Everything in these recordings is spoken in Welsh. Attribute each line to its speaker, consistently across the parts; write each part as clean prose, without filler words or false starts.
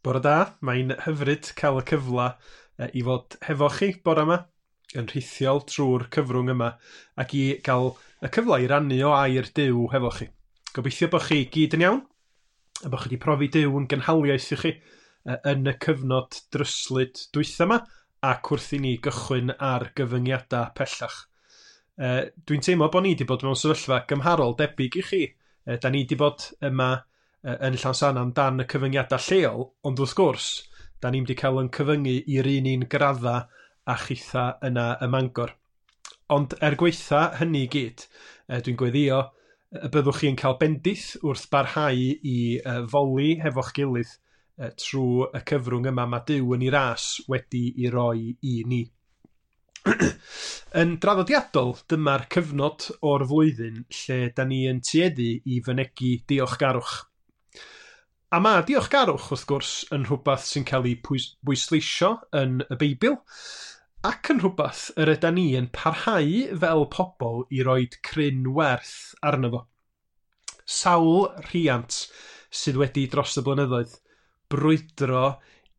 Speaker 1: Bore da, mae'n hyfryd cael y cyfle i fod hefo chi bore yma, yn rhithiol trwy'r cyfrwng yma, ac i gael y cyfle i rannu o air Duw hefo chi. Gobeithio bod chi gyd yn iawn, a bod chi wedi profi Duw yn gynhaliaeth i chi yn y cyfnod dryslyd dwytha yma, ac wrth i ni gychwyn ar gyfyngiadau pellach. Dwi'n teimlo bod ni wedi bod mewn sefyllfa gymharol debyg i chi. Da ni wedi bod yma yn Llansannan dan y cyfyngiadau lleol, ond wrth gwrs, da ni'n wedi cael yn cyfyngu i'r un un gradda a chitha yna ym Mangor. Ond er gweitha hynny i gyd, dwi'n gweddio y byddwch chi'n cael bendith wrth barhau i foli hefo'ch gilydd trwy y cyfrwng yma mae Duw yn ei ras wedi i roi i ni. Yn draddodiadol, dyma'r cyfnod o'r flwyddyn lle da ni yn tueddu i fynegi diolchgarwch. A mae diolchgarwch, wrth gwrs, yn rhywbeth sy'n cael ei bwysleisio yn y Beibl, ac yn rhywbeth yr yda ni yn parhau fel pobl i roed cryn werth arno fo. Sawl rhiant sydd wedi dros y blynyddoedd brwydro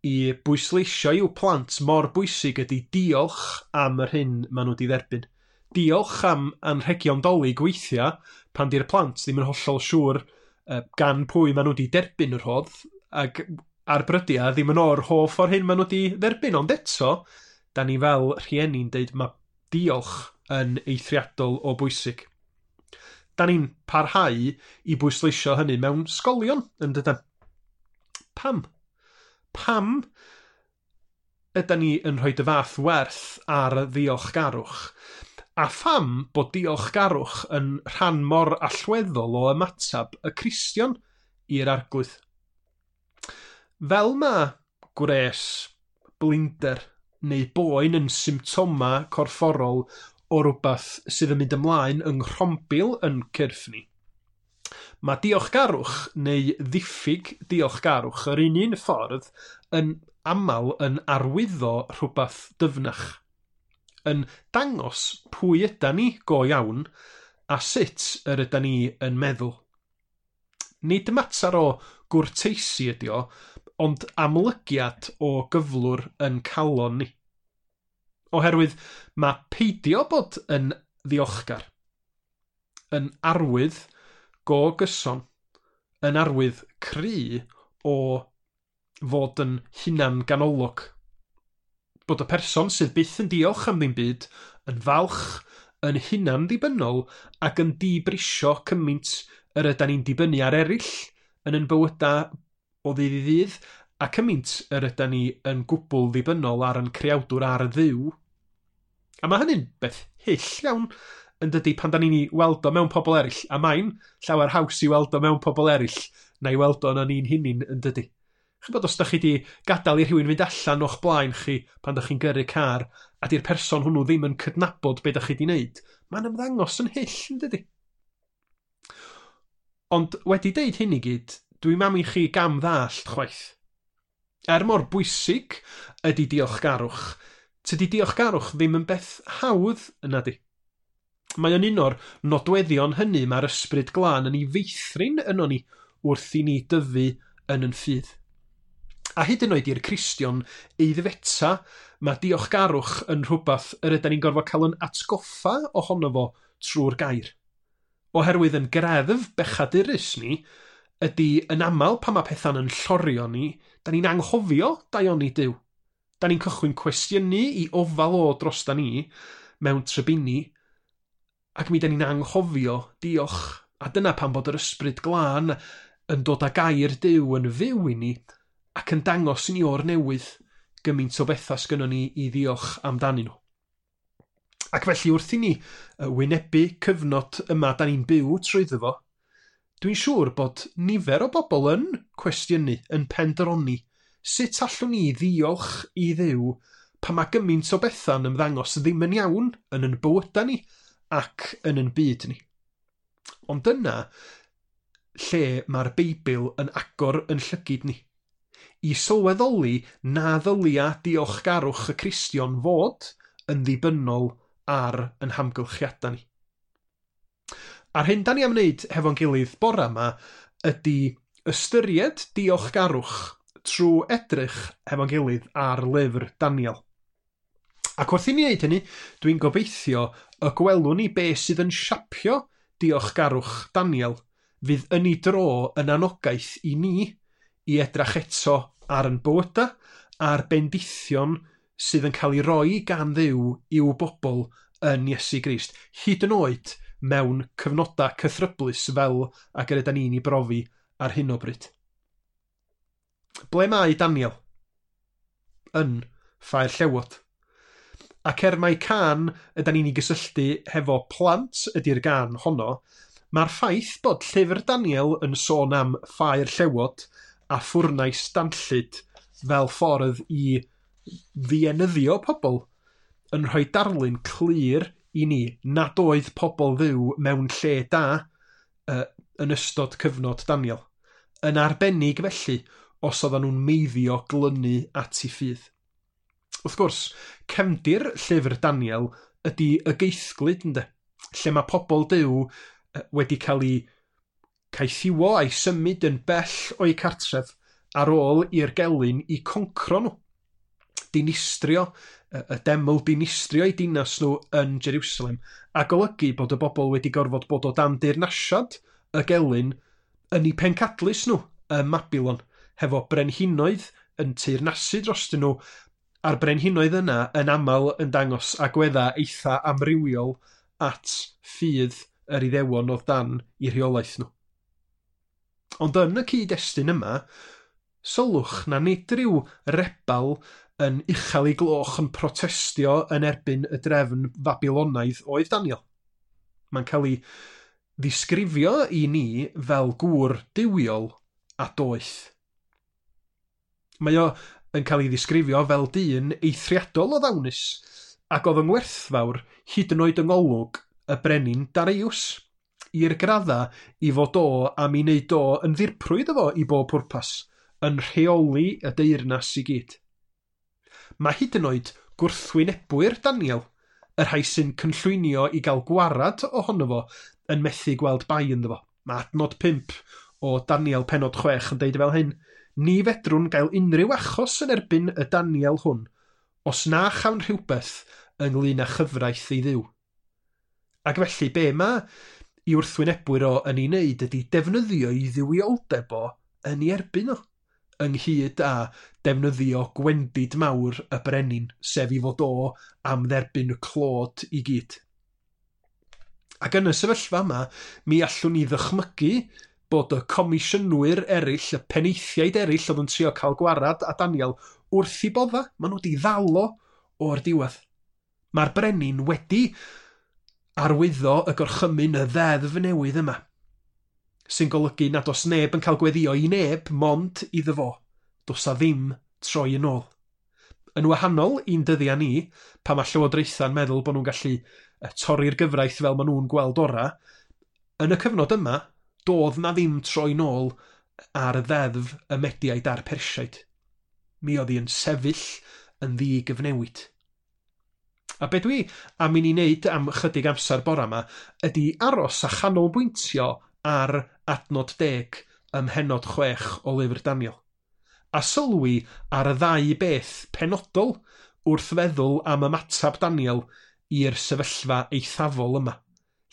Speaker 1: i bwysleisio i'w plant mor bwysig ydy diolch am yr hyn maen nhw wedi dderbyn. Diolch am anrhegion Dolig weithiau pan di'r plant ddim yn hollol siŵr gan pwy maen nhw wedi derbyn y rhodd, ac ar brydiau ddim yn o'r hoff o'r hyn maen nhw wedi dderbyn, ond eto, da ni fel rhieni'n deud mae diolch yn eithriadol o bwysig. Da ni'n parhau i bwysleisio hynny mewn sgolion, yn dydan? Pam? Pam ydan ni yn rhoi y fath werth ar ddiolchgarwch? A pham bod diolchgarwch yn rhan mor allweddol o ymateb y Cristion i'r Arglwydd? Fel mae gwres, blinder neu boen yn symptoma corfforol o rywbeth sydd yn mynd ymlaen yng nghrombil yn cyrff ni, mae diolchgarwch neu ddiffyg diolchgarwch yr un un ffordd yn aml yn arwyddo rhywbeth dyfnach, yn dangos pwy yda ni go iawn a sut yr yda ni yn meddwl. Nid mater o gwrteisi ydi o, ond amlygiad o gyflwr yn calon ni. Oherwydd mae peidio bod yn ddiolchgar, yn arwydd go gyson, yn arwydd cry o fod yn hunan ganolog. Bod y person sydd byth yn diolch am ddim byd yn falch, yn hunan ddibynnol ac yn dibrisio cymaint yr ydan ni'n dibynnu ar eraill yn yn bywydau o ddydd i ddydd, a cymaint yr ydan ni yn gwbl ddibynnol ar yn creawdwr ar y Dduw. A mae hynny'n beth hyll iawn yn dydy pan da ni'n ei weld o mewn pobl eraill, a mae'n llawer haws i weld o mewn pobl eraill na i weld o yn ni'n hunin yn dydy. Chi'n bod os da chi wedi gadael i rhywun fynd allan o'ch blaen chi pan da chi'n gyrru car a di'r person hwnnw ddim yn cydnabod be da chi wedi wneud, mae'n ymddangos yn hyll yn dydy. Ond wedi deud hyn i gyd, dwi'n am i chi gam ddallt chwaith. Er mor bwysig ydy diolchgarwch, tydi diolchgarwch ddim yn beth hawdd yna di. Mae o'n un o'r nodweddion hynny mae'r ysbryd glân yn ei feithrin yno ni wrth i ni dyfu yn yn ffydd. A hyd yn oed i'r Cristion eiddfeta, mae diolchgarwch yn rhywbeth yr ydan ni'n gorfod cael yn atgoffa ohono fo trwy'r gair. Oherwydd yn greddf bechadurus ni, ydy yn aml pan mae pethau'n yn llorio ni, da ni'n anghofio daioni Duw. Da ni'n cychwyn cwestiynu i ofal o dros da ni mewn trybini, ac mi da ni'n anghofio diolch. A dyna pam bod yr ysbryd glân yn dod â gair Duw yn fyw i ni, ac yn dangos i ni o'r newydd gymaint o bethau sgynnon ni i ddiolch amdanyn nhw. Ac felly wrth i ni wynebu cyfnod yma da ni'n byw trwyddo fo, dwi'n siŵr bod nifer o bobl yn cwestiynu, yn pendroni, sut allwn ni ddiolch i Dduw pan mae gymaint o bethau'n ymddangos ddim yn iawn yn yn bywydau ni ac yn yn byd ni. Ond dyna lle mae'r Beibl yn agor yn llygid ni, i sylweddoli na ddylia diolchgarwch y Cristion fod yn ddibynnol ar yn hamgylchiadau ni. A'r hyn da ni am wneud hefo'n gilydd bore yma ydy ystyried diolchgarwch Trwy edrych hefo'n gilydd ar lyfr Daniel. Ac wrth i ni wneud hynny, dwi'n gobeithio y gwelwn ni be sydd yn siapio diolchgarwch Daniel fydd yn ei dro yn anogaeth i ni i edrach eto ar yn bywyda a'r bendithion sydd yn cael ei roi gan Dduw i'w bobl yn Iesu Grist, hyd yn oed mewn cyfnodau cythryblus fel ag yr ydan ni'n ei brofi ar hyn o bryd. Ble mae Daniel? Yn Ffair Llewod. Ac er mai cân ydan ni'n ei gysylltu hefo plant ydy'r gân honno, mae'r ffaith bod llyfr Daniel yn sôn am Ffair Llewod a ffwrnais danllyd fel ffordd i ddienyddio pobl yn rhoi darlun clir i ni nad oedd pobl Dduw mewn lle da yn ystod cyfnod Daniel. Yn arbennig felly os oedden nhw'n meiddio glynu at ei ffydd. Wrth gwrs, cefndir llyfr Daniel ydy y geithglyd, ynde? Lle mae pobl Duw wedi cael eu caethiwo a'i symud yn bell o'u cartref ar ôl i'r gelyn i concro nhw. Dinistrio, y deml dinistrio eu dinas nhw yn Jerusalem, a golygu bod y bobl wedi gorfod bod o dan deyrnasiad y gelyn yn eu pencadlys nhw ym Mabilon, hefo brenhinoedd yn teyrnasu drostyn nhw, a'r brenhinoedd yna yn aml yn dangos agweddau eitha amrywiol at ffydd yr Iddewon oedd dan eu rheolaeth nhw. Ond yn y cyd-destun yma, sylwch na nid rhyw rebel yn uchel ei gloch yn protestio yn erbyn y drefn Fabilonaidd oedd Daniel. Mae'n cael ei ddisgrifio i ni fel gŵr duwiol a doeth. Mae o yn cael ei ddisgrifio fel dyn eithriadol o ddawnus ac oedd yn werthfawr hyd yn oed yng ngolwg y brenin Darius, i'r gradda i fod o am ei wneud o yn ddirprwy iddo fo i bob pwrpas, yn rheoli y deyrnas i gyd. Mae hyd yn oed gwrthwynebwyr Daniel, y rhai sy'n cynllwynio i gael gwarad ohono fo, yn methu gweld bai ynddo fo. Mae adnod 5 o Daniel pennod 6 yn deud fel hyn: Ni fedrwn gael unrhyw achos yn erbyn y Daniel hwn, os na chawn rhywbeth ynglyn â chyfraith ei Dduw. Ac felly be mae i wrthwynebwyr o yn ei wneud ydy defnyddio ei dduwioldeb o yn ei erbyn o, ynghyd â defnyddio gwendid mawr y brenin, sef i fod o am dderbyn y clod i gyd. Ac yn y sefyllfa yma, mi allwn ni ddychmygu bod y comisiynwyr eraill, y penaethiaid eraill oedd yn trio cael gwarad a Daniel wrth i bodda, maen nhw wedi ddal o o'r diwedd. Mae'r brenin wedi arwyddo y gorchymyn y ddeddf newydd yma, sy'n golygu nad oes neb yn cael gweddio i neb mond iddo fo. Does 'na ddim troi yn ôl. Yn wahanol i'n dyddiau ni, pan mae llywodraethau'n meddwl bod nhw'n gallu torri'r gyfraith fel maen nhw'n gweld ora, yn y cyfnod yma, doedd na ddim troi nôl ar y ddeddf y Mediaid a'r Persiaid. Mi oedd hi yn sefyll yn ddigyfnewid. A be dwi am i ni wneud am chydig amser bora yma ydy aros a chanolbwyntio ar adnod 10 ym mhennod 6 o lyfr Daniel. A sylwi ar y ddau beth penodol wrth feddwl am ymateb Daniel i'r sefyllfa eithafol yma,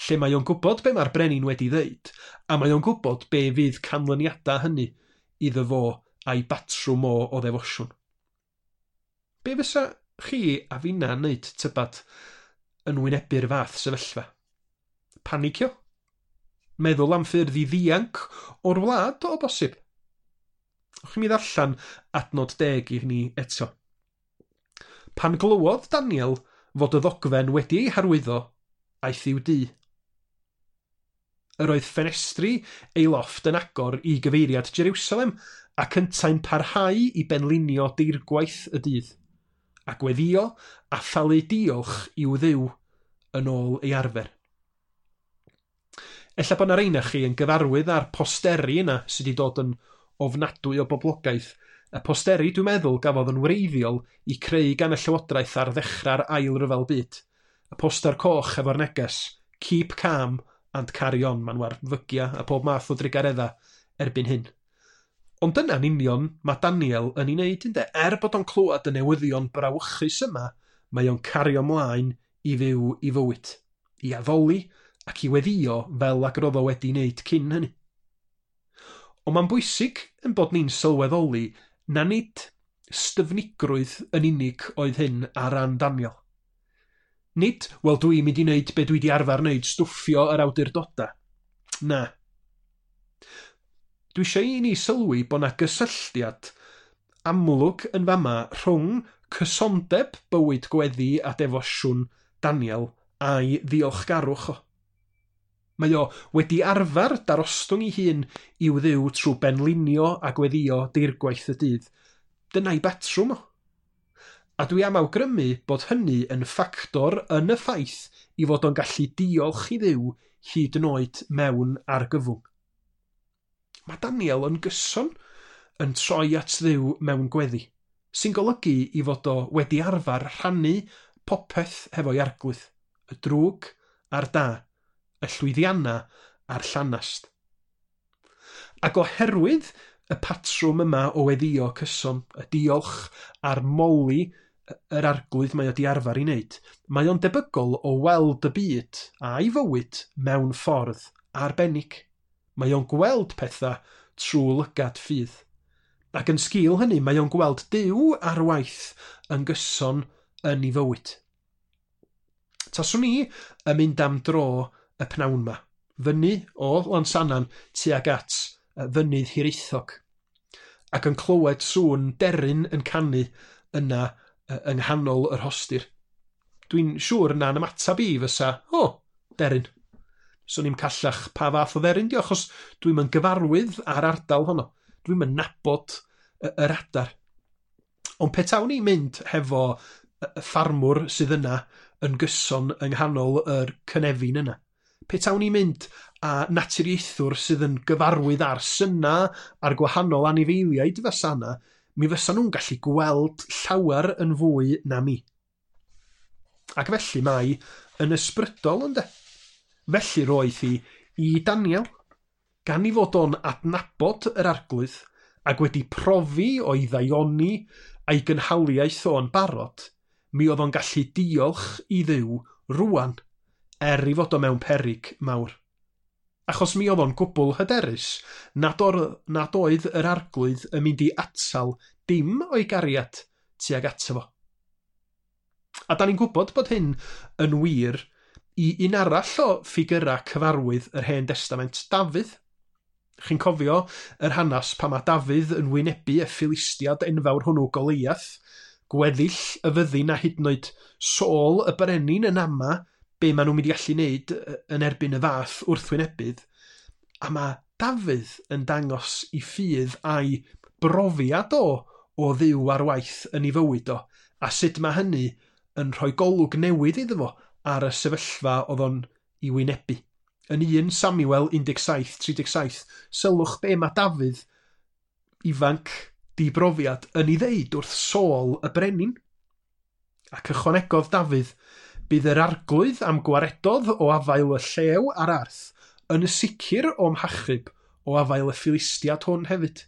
Speaker 1: lle mae o'n gwybod be mae'r brenin wedi ddeud, a mae o'n gwybod be fydd canlyniadau hynny iddo fo a'i batrwm o o ddefosiwn. Be fysa chi a finna'n neud, tybad, yn wynebu'r fath sefyllfa? Panicio? Meddwl am ffyrdd i ddianc o'r wlad o bosib? Ewch i mi ddarllen adnod 10 i ni eto. Pan glywodd Daniel fod y ddogfen wedi ei harwyddo, aeth i'w dŷ. Yr oedd ffenestri ei lofft yn agor i gyfeiriad Jerusalem ac yntau'n parhau i benlinio deirgwaith y dydd, a gweddio a thalu diolch i'w Dduw yn ôl ei arfer. Ella bod 'na rei ohonoch chi yn gyfarwydd â'r posteri yna sydd wedi dod yn ofnadwy o boblogaidd. Y posteri, dwi'n meddwl, gafodd yn wreiddiol i creu gan y Llywodraeth ar ddechrau'r Ail Ryfel Byd. Y poster coch efo'r neges, "Keep calm and carry on", maen nhw ar fygia a pob math o drugaredda erbyn hyn. Ond dyna'n union mae Daniel yn ei wneud, ynde? Er bod o'n clywed y newyddion brawychus yma, mae o'n cario mlaen i fyw i fywyd, i addoli ac i weddïo fel ag roedd o wedi wneud cyn hynny. Ond mae'n bwysig yn bod ni'n sylweddoli na nid styfnigrwydd yn unig oedd hyn ar ran Daniel. Nid, wel, dwi'n mynd i wneud be dwi wedi arfer wneud, stwffio yr awdurdodau. Na. Dwi eisiau i ni sylwi bod 'na gysylltiad amlwg yn fama rhwng cysondeb bywyd gweddi a defosiwn Daniel a'i ddiolchgarwch o. Mae o wedi arfer darostwng ei hun i'w Dduw trwy benlinio a gweddio deirgwaith y dydd. Dyna'i batrwm o. A dwi am awgrymu bod hynny yn ffactor yn y ffaith i fod o'n gallu diolch i Dduw hyd yn oed mewn argyfwng. Mae Daniel yn gyson yn troi at Dduw mewn gweddi, sy'n golygu i fod o wedi arfer rhannu popeth hefo'i Arglwydd, y drwg a'r da, y llwyddiannau a'r llanast. Ac oherwydd y patrwm yma o weddio cyson, y diolch a'r moli yr Arglwydd mae o di arfer i wneud, mae o'n debygol o weld y byd a'i fywyd mewn ffordd arbennig. Mae o'n gweld pethau trwy lygad ffydd. Ac yn sgil hynny, mae o'n gweld Duw ar waith yn gyson yn ei fywyd. Taswn i yn mynd am dro y pnawn ma, fyny o Lansannan tuag at fynydd Hiraethog, ac yn clywed sŵn deryn yn canu yna yng nghanol yr rhostir. Dwi'n siŵr na'n ymateb i fysa, "O, deryn." Swn i'm callach pa fath o dderyn di, achos dwi'm yn gyfarwydd â'r ardal honno. Dwi'm yn nabod yr adar. Ond petawn i'n mynd hefo y ffarmwr sydd yna yn gyson yng nghanol yr cynefin yna, petawn i'n mynd â naturiaethwr sydd yn gyfarwydd â'r syna a'r gwahanol anifeiliaid fysa yna, mi fysa nhw'n gallu gweld llawer yn fwy na mi. Ac felly mae yn ysbrydol, ynde? Felly roedd hi i Daniel, gan i fod o'n adnabod yr Arglwydd ac wedi profi o'i ddaioni a'i gynhaliaeth o'n barod, mi oedd o'n gallu diolch i Dduw rwan, er i fod o mewn peryg mawr. Achos mi oedd o'n gwbl hyderus nad, or, nad oedd yr Arglwydd yn mynd i atal dim o'i gariad tuag ato fo. A da ni'n gwybod bod hyn yn wir i un arall o ffigurau cyfarwydd yr Hen Destament, Dafydd. Chi'n cofio yr hanes pan mae Dafydd yn wynebu y Philistiad enfawr hwnnw Goliath, gweddill y fyddin a hyd yn oed Saul y brenin yn ama be maen nhw'n mynd i allu wneud yn erbyn y fath wrthwynebydd. A mae Dafydd yn dangos i ffydd a'i brofiad o o Dduw ar waith yn ei fywyd o, a sut mae hynny yn rhoi golwg newydd iddo fo ar y sefyllfa oedd o'n i wynebu. Yn 1 Samuel 17:37, sylwch be mae Dafydd ifanc dibrofiad yn ei ddeud wrth Saul y brenin. Ac ychwanegodd Dafydd, "Bydd yr Arglwydd am gwaredodd o afael y llew a'r arth yn sicr o'm hachub o afael y Philistiad hwn hefyd."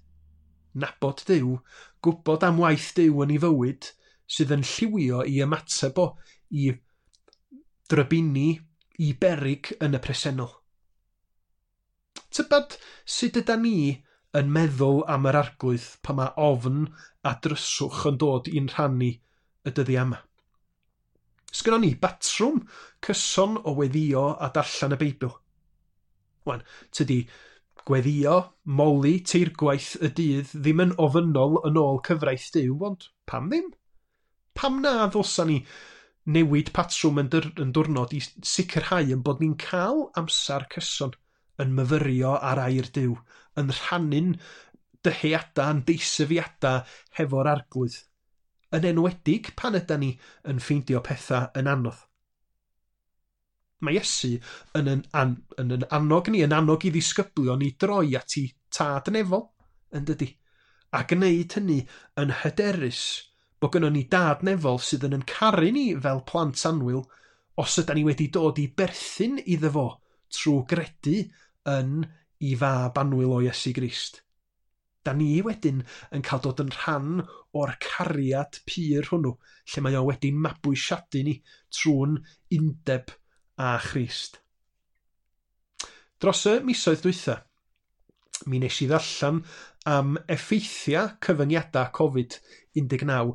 Speaker 1: Nabod Duw, gwybod am waith Duw yn ei fywyd, sydd yn lliwio i ymateb o i drybini, i beryg yn y presennol. Tybed sut yda ni yn meddwl am yr Arglwydd pan mae ofn a dryswch yn dod i'n rhan ni y dyddiau yma? Sgynnon ni batrwm cyson o weddio a darllen y Beibl? Wan, tydi gweddio, moli teirgwaith y dydd ddim yn ofynnol yn ôl cyfraith Duw, ond pam ddim? Pam na ddylsa ni newid patrwm yn, yn diwrnod i sicrhau yn bod ni'n cael amser cyson yn myfyrio ar air Duw, yn rhannu'n dyheadau, yn deisyfiadau hefo'r Arglwydd, yn enwedig pan yda ni yn ffeindio pethau yn anodd. Mae Iesu yn yn, an, yn, yn annog ni, yn annog i ddisgyblion i droi at i tad nefol, yn dydy? A gwneud hynny yn hyderus bod gynnon ni dad nefol sydd yn yn caru ni fel plant annwyl os yda ni wedi dod i berthyn iddo fo trwy gredu yn i fab annwyl o Iesu Grist. Da ni wedyn yn cael dod yn rhan o'r cariad pur hwnnw, lle mae o wedi'n mabwysiadu ni trwy'n undeb â Christ. Dros y misoedd dwytha, mi nes i ddarllen am effeithiau cyfyngiadau Covid-19,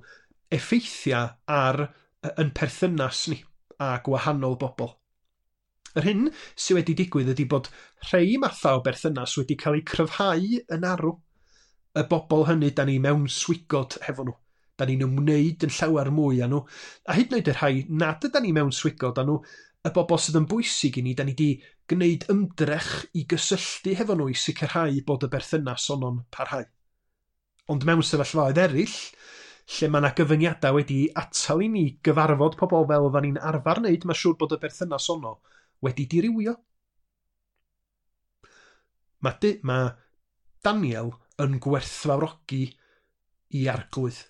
Speaker 1: effeithiau ar yn perthynas ni a gwahanol bobl. Yr hyn sydd wedi digwydd ydy bod rhai mathau o berthynas wedi cael eu cryfhau yn arw. Y bobl hynny da ni mewn swigod hefo nhw. Da ni'n ymwneud yn llawer mwy â nhw. A hyd yn oed y rhai nad yda ni mewn swigod â nhw, y bobl sydd yn bwysig i ni, da ni wedi gwneud ymdrech i gysylltu hefo nhw i sicrhau bod y berthynas ono'n parhau. Ond mewn sefyllfaoedd eraill, lle mae yna gyfyngiadau wedi atal i ni gyfarfod pobl fel oeddan ni'n arfer wneud, mae'n siŵr bod y berthynas ono wedi dirywio. Mae Daniel yn gwerthfawrogi i Arglwydd.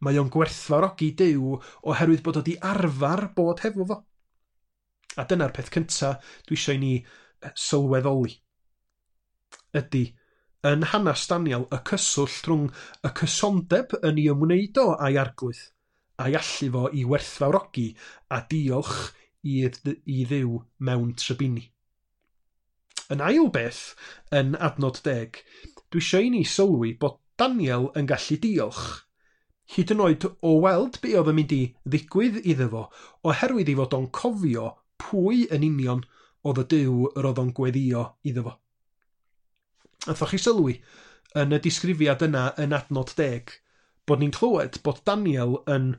Speaker 1: Mae o'n gwerthfawrogi Duw oherwydd bod o wedi arfer bod hefo fo. A dyna'r peth cyntaf dwi eisiau i ni sylweddoli. Ydy, yn hanes Daniel, y cyswllt rhwng y cysondeb yn ei ymwneud o a'i Arglwydd, a'i allu fo i werthfawrogi a diolch i Dduw mewn trybini. Yn ail beth, yn adnod 10, dwi eisiau i ni sylwi bod Daniel yn gallu diolch, hyd yn oed o weld be oedd yn mynd i ddigwydd iddo fo, oherwydd ei fod o'n cofio pwy yn union oedd y Duw yr oedd o'n gweddio iddo fo. Nathoch chi sylwi yn y disgrifiad yna yn adnod 10 bod ni'n clywed bod Daniel yn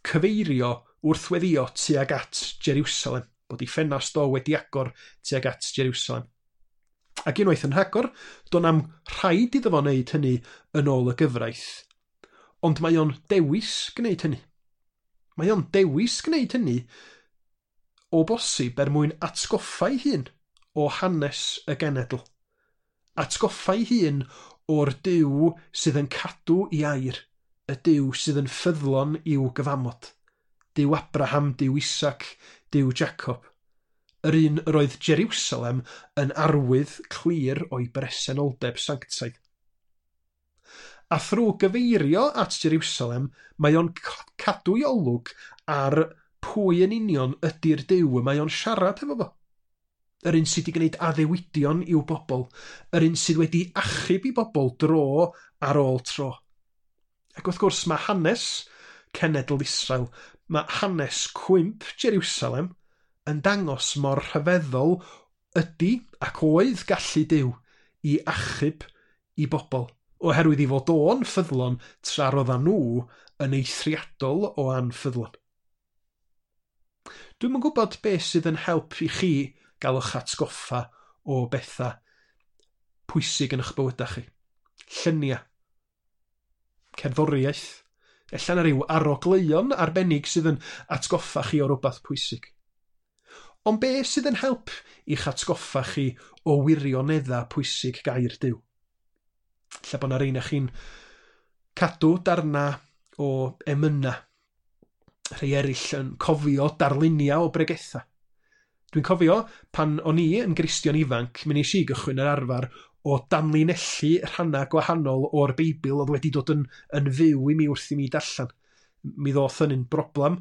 Speaker 1: cyfeirio wrth weddio tuag at Jerusalem, bod ei ffenast o wedi agor tuag at Jerusalem. Ac unwaith yn rhagor, do'n am rhaid iddo fo wneud hynny yn ôl y gyfraith, ond mae o'n dewis gwneud hynny. Mae o'n dewis gwneud hynny o bosib er mwyn atgoffa ei hun o hanes y genedl. Atgoffa ei hun o'r Duw sydd yn cadw i air, y Duw sydd yn ffyddlon i'w gyfamod. Duw Abraham, Duw Isaac, Duw Jacob. Yr un yr oedd Jerusalem yn arwydd clir o'i bresenoldeb sanctaidd. A thrwy gyfeirio at Jerusalem, mae o'n cadw ei olwg ar pwy yn union ydy'r Duw y mae o'n siarad hefo fo. Yr un sydd wedi gwneud addewidion i'w bobl, yr un sydd wedi achub i bobl dro ar ôl tro. Ac wrth gwrs mae hanes cenedl Israel, mae hanes cwymp Jerusalem yn dangos mor rhyfeddol ydy ac oedd gallu Duw i achub i bobl, oherwydd i fod o'n ffyddlon tra roeddan nhw yn eithriadol o anffyddlon. Dwi'm yn gwybod beth sydd yn help i chi gael eich atgoffa o bethau pwysig yn eich bywydau chi. Lluniau, cerddoriaeth, ella na ryw arogleuon arbennig sydd yn atgoffa chi o rywbeth pwysig. Ond beth sydd yn help i'ch atgoffa chi o wirioneddau pwysig gair Duw? Ella bod na rheina chi'n cadw darna o emyna, rhai eraill yn cofio darluniau o bregethau. Dwi'n cofio pan o'n i yn Gristion ifanc, mi wnes i gychwyn yr arfer o danlinellu rhannau gwahanol o'r Beibl oedd wedi dod yn fyw i mi wrth i mi darllen. Mi ddoth hynny'n broblem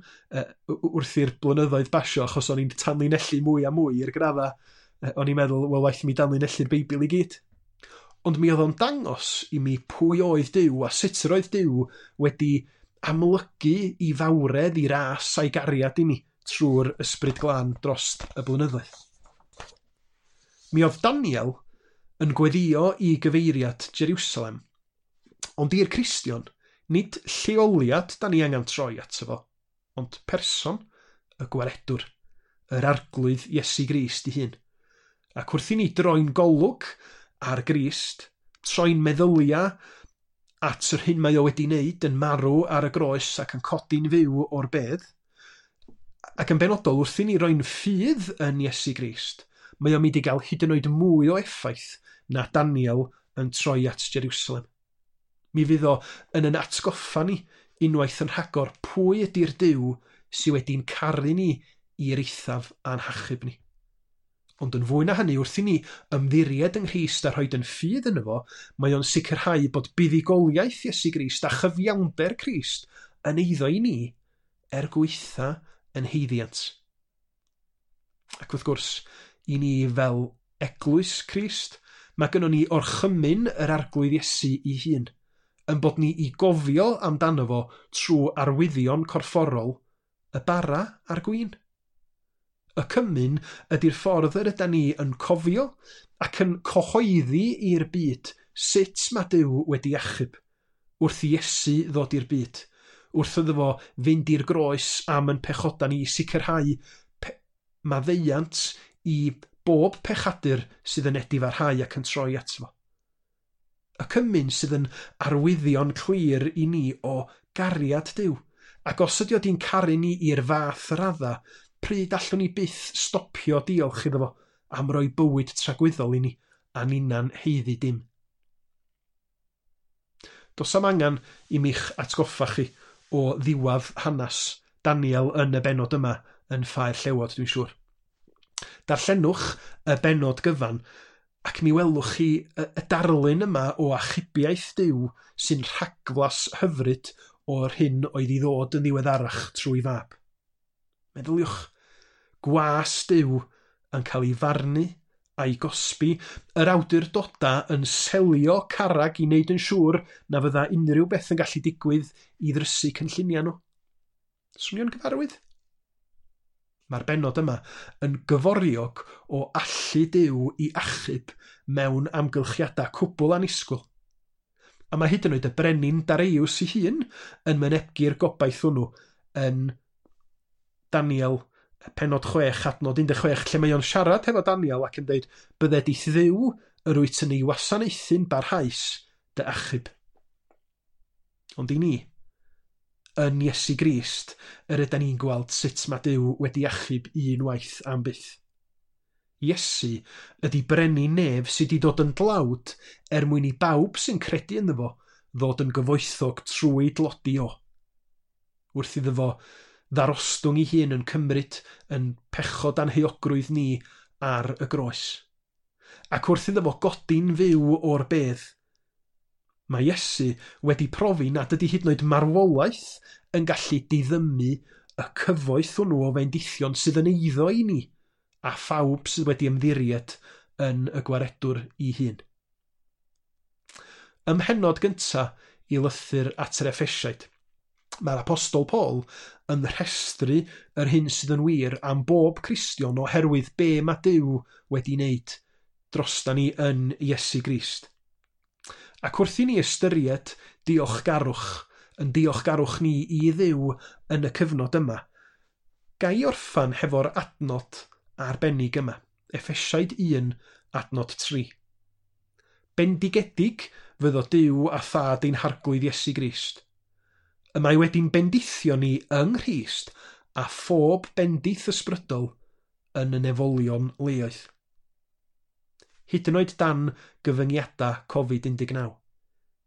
Speaker 1: wrth i'r blynyddoedd basio, achos o'n i'n tanlinellu mwy a mwy i'r graddau. O'n i'n meddwl, wel, waeth i mi danlinellu'r Beibl i gyd. Ond mi oedd o'n dangos i mi pwy oedd Duw a sut yr oedd Duw wedi amlygu i fawredd, i ras a'i gariad i mi trwy'r Ysbryd Glân dros y blynyddoedd. Mi oedd Daniel yn gweddio i gyfeiriad Jerusalem, ond i'r Cristion, nid lleoliad da ni angen troi ato fo, ond person, y gwaredwr, yr Arglwydd Iesu Grist ei hun. Ac wrth i ni droi'n golwg ar Grist, troi'n meddyliau at yr hyn mae o wedi wneud yn marw ar y groes ac yn codi'n fyw o'r bedd, ac yn benodol wrth i ni roi'n ffydd yn Iesu Grist, mae o'n mynd i gael hyd yn oed mwy o effaith na Daniel yn troi at Jerusalem. Mi fydd o yn atgoffa ni unwaith yn rhagor pwy ydy'r Duw sydd wedi'n caru ni i'r eithaf a'n hachub ni. Ond yn fwy na hynny, wrth i ni ymddiried yng Nghrist a rhoid yn ffydd yno fo, mae o'n sicrhau bod buddugoliaeth Iesu Grist a chyfiawnder Crist yn eiddo i ni er gwaetha yn haeddiant. Ac wrth gwrs, i ni fel eglwys Crist, mae gynnon ni orchymyn yr Arglwydd Iesu ei hun, yn bod ni i gofio amdano fo trwy arwyddion corfforol y bara a'r gwin. Y cymun ydy'r ffordd yr ydan ni yn cofio ac yn cyhoeddi i'r byd sut mae Duw wedi achub, wrth i Iesu ddod i'r byd, wrth iddo fo fynd i'r groes am yn pechoda ni i sicrhau maddeuant i bob pechadur sydd yn edifarhau ac yn troi ato fo. Y cymun sydd yn arwyddion clir i ni o gariad Duw, ac os ydy o di'n caru ni i'r fath radda, pryd allwn ni byth stopio diolch iddo fo am roi bywyd tragwyddol i ni a ninna'n haeddu dim. Does am angen i mi'ch atgoffa chi o ddiwedd hanes Daniel yn y bennod yma yn Ffau'r Llewod, dwi'n siŵr. Darllenwch y bennod gyfan ac mi welwch chi y darlun yma o achubiaeth Duw sy'n rhagflas hyfryd o'r hyn oedd i ddod yn ddiweddarach trwy fab. Meddyliwch, gwas Duw yn cael ei farnu a'i gosbi, yr awdurdoda yn selio carrag i wneud yn siŵr na fydda unrhyw beth yn gallu digwydd i ddrysu cynlluniau nhw. Swnio'n gyfarwydd? Mae'r bennod yma yn gyforiog o allu Duw i achub mewn amgylchiadau cwbl annisgwyl. A mae hyd yn oed y brenin Dareiws ei hun yn mynegi'r gobaith hwnnw yn Daniel pennod 6 adnod 16, lle mae o'n siarad hefo Daniel ac yn dweud, bydded i'th Dduw yr wyt yn ei wasanaethu'n barhaus dy achub. Ond i ni, yn Iesu Grist, yr ydan ni'n gweld sut mae Duw wedi achub unwaith am byth. Iesu ydy brenin nef sydd wedi dod yn dlawd er mwyn i bawb sy'n credu ynddo fo ddod yn gyfoethog trwy dlodi o. Wrth iddo fo ddarostwng ei hun yn cymryd yn pechod anheuogrwydd ni ar y groes. Ac wrth iddo fo godi'n fyw o'r bedd, mae Iesu wedi profi nad ydy hyd yn oed marwolaeth yn gallu diddymu y cyfoeth hwnnw o fendithion sydd yn eiddo i ni a phawb sydd wedi ymddiried yn y gwaredwr ei hun. Ym mhennod gyntaf i lythyr at yr Effesiaid, mae'r Apostol Paul yn rhestru yr hyn sydd yn wir am bob Cristion oherwydd be mae Duw wedi wneud drosta ni yn Iesu Grist. Ac wrth i ni ystyried diolchgarwch, yn diolchgarwch ni i Dduw yn y cyfnod yma, ga i orffan hefo'r adnod arbennig yma, Effesiaid 1, adnod 3. Bendigedig fyddo Duw a Thad ein Harglwydd Iesu Grist. Y mae wedi'n bendithio ni yng Nghrist a phob bendith ysbrydol yn y nefolion leoedd. Hyd yn oed dan gyfyngiadau Covid-19.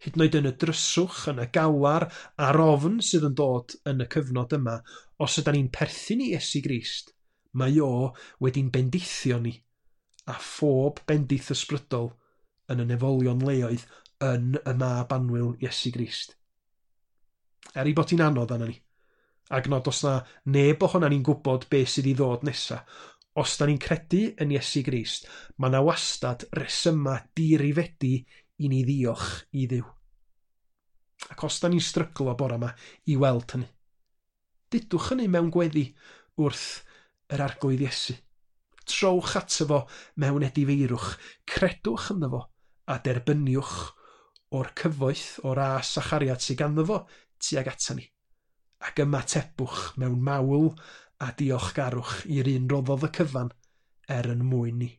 Speaker 1: Hyd yn oed yn y dryswch, yn y galar a'r ofn sydd yn dod yn y cyfnod yma, os ydan ni'n perthyn i Iesu Grist, mae o wedi'n bendithio ni a phob bendith ysbrydol yn y nefolion leoedd yn y mab annwyl Iesu Grist. Er ei bod hi'n anodd arna ni, ac nod os na neb ohonan ni'n gwybod beth sydd i ddod nesa, os da ni'n credu yn Iesu Grist, mae na wastad resyma dirifedi i ni ddiolch i Dduw. Ac os da ni'n stryglo bore yma i weld hynny, dudwch hynny mewn gweddi wrth yr Arglwydd Iesu. Trowch ato fo mewn edifeirwch, credwch ynddo fo a derbyniwch o'r cyfoeth, o'r ras a chariad sydd ganddo fo tuag ata ni. Ac ymatebwch mewn mawl a diolchgarwch i'r un roddodd y cyfan er yn mwyn ni.